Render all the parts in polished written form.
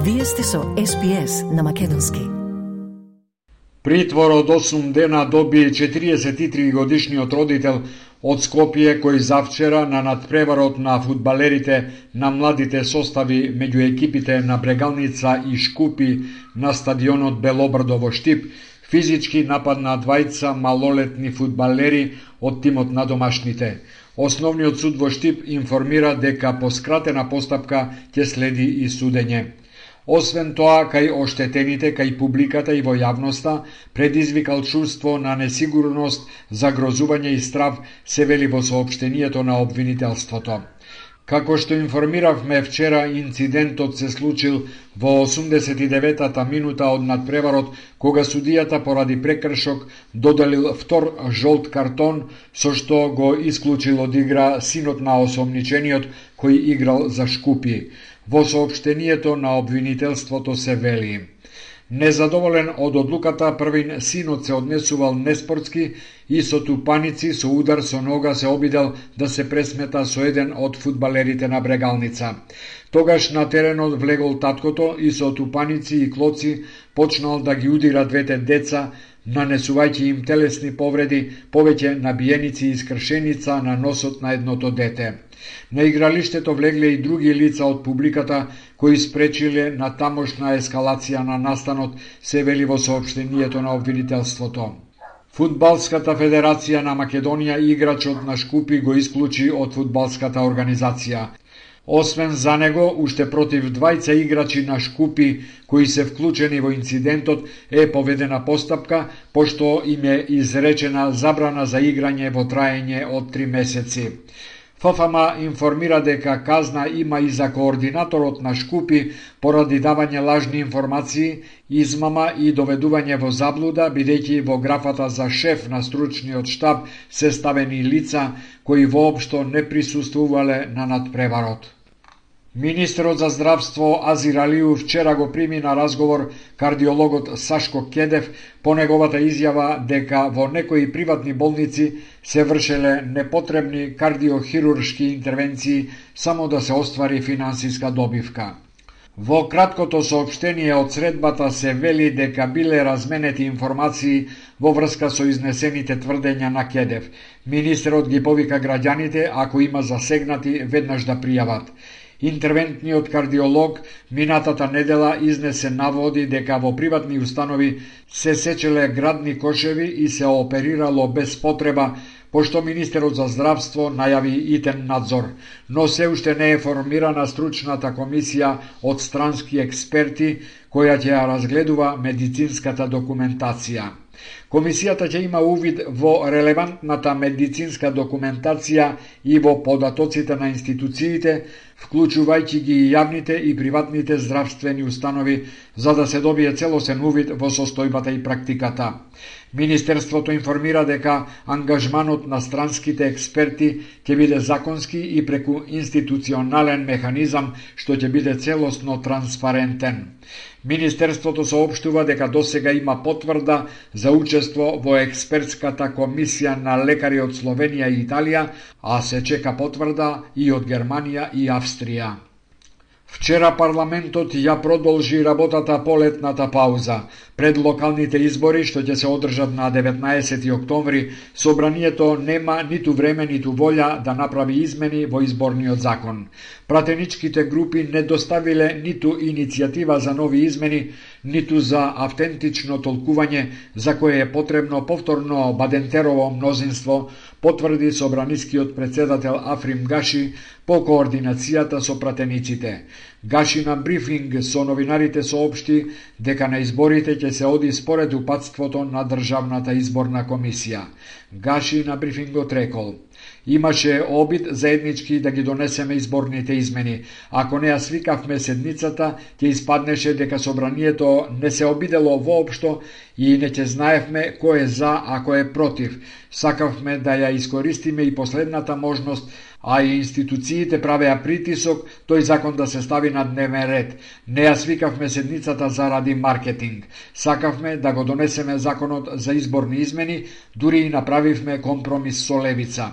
Вие сте со SPS на македонски. Притвор од 8 дена доби 43 годишниот родител од Скопје кој завчера на надпреварот на фудбалерите на младите состави меѓу екипите на Брегалница и Шкупи на стадионот Белобрдо во Штип физички нападна двајца малолетни фудбалери од тимот на домашните. Основниот суд во Штип информира дека по скратена постапка ќе следи и судење. Освен тоа, кај оштетените, кај публиката и во јавноста, предизвикал чувство на несигурност, загрозување и страв, се вели во соопштенијето на обвинителството. Како што информиравме вчера, инцидентот се случил во 89-та минута од надпреварот, кога судијата поради прекршок доделил втор жолт картон, со што го исклучил од игра синот на осомничениот кој играл за Шкупи. Во соопштенијето на обвинителството се вели: незадоволен од одлуката, првин синот се однесувал неспортски и со тупаници со удар со нога се обидел да се пресмета со еден од фудбалерите на Брегалница. Тогаш на теренот влегол таткото и со тупаници и клоци почнал да ги удира двете деца, нанесувајќи им телесни повреди, повеќе набиеници и скршеница на носот на едното дете. На игралиштето влегле и други лица од публиката кои спречиле на тамошна ескалација на настанот, се вели во соопштенијето на обвинителството. Фудбалската федерација на Македонија играчот на Шкупи го исклучи од фудбалската организација. Освен за него, уште против двајца играчи на Шкупи кои се вклучени во инцидентот е поведена постапка, пошто им е изречена забрана за играње во траење од 3 месеци. ФФМ информира дека казна има и за координаторот на Шкупи поради давање лажни информации, измама и доведување во заблуда, бидејќи во графата за шеф на стручниот штаб се ставени лица кои воопшто не присуствувале на надпреварот. Министерот за здравство Азир Алиу вчера го прими на разговор кардиологот Сашко Кедев по неговата изјава дека во некои приватни болници се вршеле непотребни кардиохируршки интервенции само да се оствари финансиска добивка. Во краткото соопштение од средбата се вели дека биле разменети информации во врска со изнесените тврдења на Кедев. Министерот ги повика граѓаните, ако има засегнати, веднаш да пријават. Интервентниот кардиолог минатата недела изнесе наводи дека во приватни установи се сечеле градни кошеви и се оперирало без потреба, пошто Министерот за здравство најави итен надзор, но се уште не е формирана стручната комисија од странски експерти која ќе ја разгледува медицинската документација. Комисијата ќе има увид во релевантната медицинска документација и во податоците на институциите, вклучувајќи ги и јавните и приватните здравствени установи, за да се добие целосен увид во состојбата и практиката. Министерството информира дека ангажманот на странските експерти ќе биде законски и преку институционален механизам што ќе биде целосно транспарентен. Министерството соопштува дека досега има потврда за учество во експертската комисија на лекари од Словенија и Италија, а се чека потврда и од Германија и Австрија. Вчера парламентот ја продолжи работата по летната пауза. Пред локалните избори што ќе се одржат на 19 октомври, собранието нема ниту време ниту волја да направи измени во изборниот закон. Пратеничките групи не доставиле ниту иницијатива за нови измени, ниту за автентично толкување за кое е потребно повторно Бадентерово мнозинство, потврди собранискиот председател Африм Гаши по координацијата со пратениците. Гаши на брифинг со новинарите соопшти дека на изборите ќе се оди според упатството на Државната изборна комисија. Гаши на брифингот рекол: имаше обид заеднички да ги донесеме изборните измени. Ако не ја свикавме седницата, ќе испаднеше дека собранието не се обидело воопшто и не ќе знаевме кој е за, а кој е против. Сакавме да ја искористиме и последната можност, а и институциите правеа притисок тој закон да се стави на дневен ред. Не ја свикавме седницата заради маркетинг. Сакавме да го донесеме законот за изборни измени, дури и направивме компромис со левица.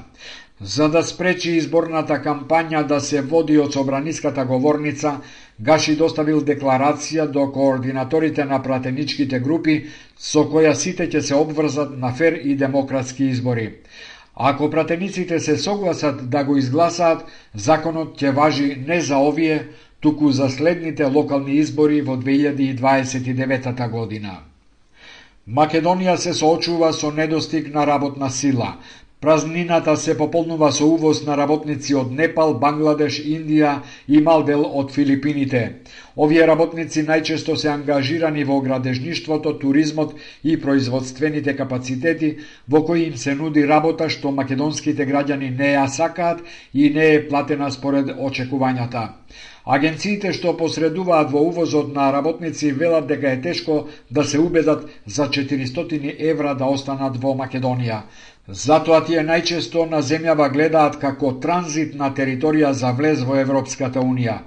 За да спречи изборната кампања да се води од собраниската говорница, Гаши доставил декларација до координаторите на пратеничките групи со која сите ќе се обврзат на фер и демократски избори. Ако пратениците се согласат да го изгласаат, законот ќе важи не за овие, туку за следните локални избори во 2029 година. Македонија се соочува со недостиг на работна сила. Празнината се пополнува со увоз на работници од Непал, Бангладеш, Индија и мал дел од Филипините. Овие работници најчесто се ангажирани во градежништвото, туризмот и производствените капацитети, во кои им се нуди работа што македонските граѓани не ја сакаат и не е платена според очекувањата. Агенциите што посредуваат во увозот на работници велат дека е тешко да се убедат за 400 евра да останат во Македонија. Затоа тие најчесто на земјава гледаат како транзитна територија за влез во Европската Унија.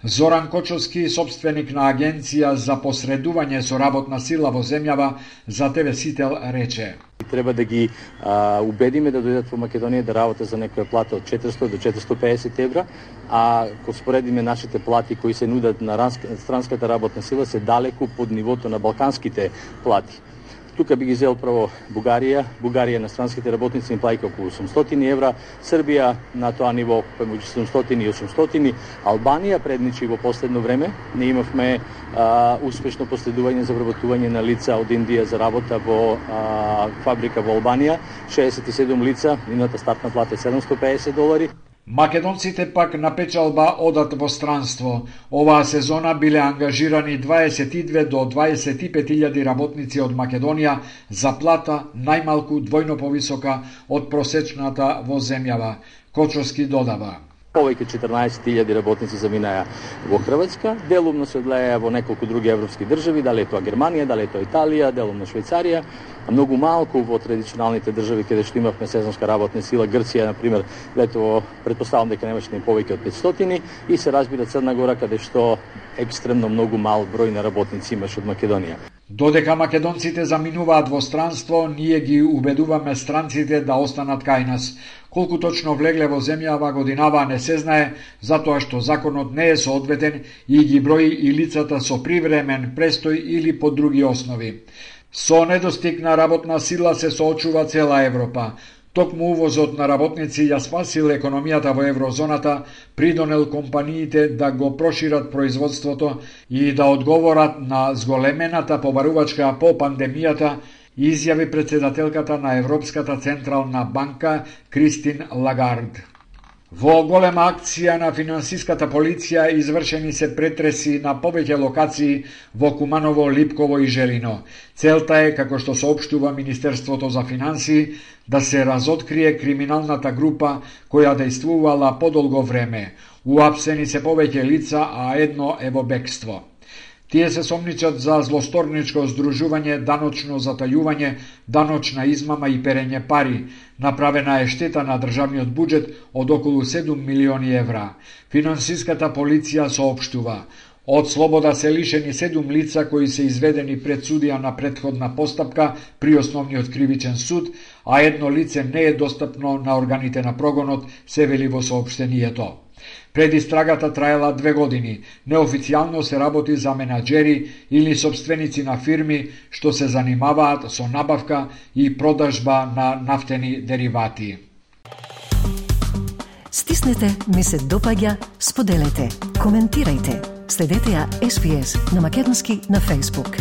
Зоран Кочовски, собственик на агенција за посредување со работна сила во земјава, за ТВ Сител рече: Треба да ги убедиме да дојдат во Македонија да работат за некоја плата од 400 до 450 евра, а ако споредиме нашите плати кои се нудат на странската работна сила се далеку под нивото на балканските плати. Тука би ги зел право Бугарија на странските работници им плаќа околу 800 евра, Србија на тоа ниво помеѓу 700 и 800, Албанија предничи во последно време. Не имавме успешно последување за вработување на лица од Индија за работа во фабрика во Албанија, 67 лица, нивната стартна плата е $750. Македонците пак на печалба одат во странство. Оваа сезона биле ангажирани 22 до 25.000 работници од Македонија за плата најмалку двојно повисока од просечната во земјава. Кочовски додава: Повеќе 14.000 работници заминаја во Хрватска, делумно се одлеја во неколку други европски држави, дали е тоа Германија, дали е тоа Италија, делумно Швајцарија, а многу малку во традиционалните држави каде што имавме сезонска работна сила. Грција, на пример, летово претпоставам дека немаше ни повеќе од 500 и се разбира Црна Гора каде што екстремно многу мал број на работници имаше од Македонија. Додека македонците заминуваат во странство, ние ги убедуваме странците да останат кај нас. Колку точно влегле во земјава годинава не се знае, затоа што законот не е соодветен и ги брои и лицата со привремен престој или по други основи. Со недостиг на работна сила се соочува цела Европа. Токму увозот на работници ја спасил економијата во еврозоната, придонел компаниите да го прошират производството и да одговорат на зголемената побарувачка по пандемијата, изјави претседателката на Европската централна банка Кристин Лагард. Во голема акција на финансиската полиција извршени се претреси на повеќе локации во Куманово, Липково и Желино. Целта е, како што соопштува Министерството за финансии, да се разоткрие криминалната група која дејствувала подолго време. Уапсени се повеќе лица, а едно е во бегство. Тие се сомничат за злосторничко здружување, даночно затајување, даночна измама и перење пари. Направена е штета на државниот буџет од околу 7 милиони евра. Финансиската полиција соопштува: од слобода се лишени 7 лица кои се изведени пред судија на претходна постапка при основниот кривичен суд, а едно лице не е достапно на органите на прогонот, се вели во соопштението. Предистрагата траела 2 години. Неофицијално се работи за менаџери или собственици на фирми што се занимаваат со набавка и продажба на нафтени деривати. Стиснете, ми се допаѓа, споделете, коментирајте. Следете ја SPS на македонски на Facebook.